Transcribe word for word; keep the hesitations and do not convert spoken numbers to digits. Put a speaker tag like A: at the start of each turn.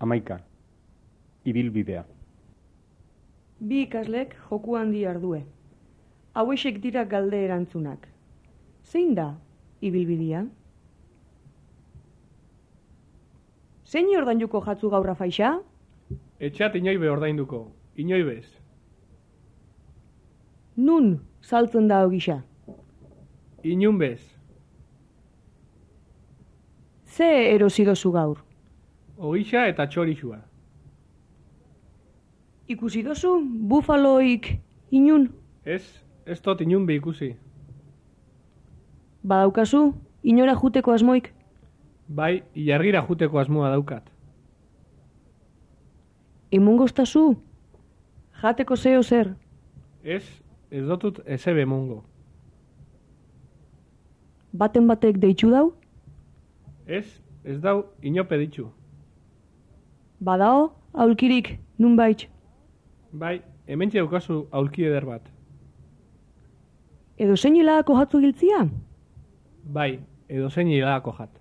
A: Hamaika. Ibilbidea.
B: Bi ikaslek joku handi ardue. Hauexek dira galde erantzunak. Zein da ibilbidea? Zein ordainduko jatzu gaurra faixa?
C: Etxat inoibe ordainduko, inoibez.
B: Nun saltzen da ogisa?
C: Inunbez.
B: Ze erosi dozu gaur?
C: Ogisa eta txorixua.
B: Ikusi dozu bufaloik inun?
C: Ez, ez dut inunbe ikusi.
B: Badaukazu, inora juteko asmoik?
C: Bai, ilargira juteko asmoa daukat.
B: Emongoztazu? Jateko zeo zer?
C: Ez, ez dotut ezebe emongo.
B: Baten batek deitzu dau?
C: Ez, ez dau inope ditzu.
B: Badao, aulkirik, nunbait?
C: Bai, hementxe daukazu aulki eder bat.
B: Edo zein hilagako jatzu giltzia?
C: Bai, edo zein hilagako jat.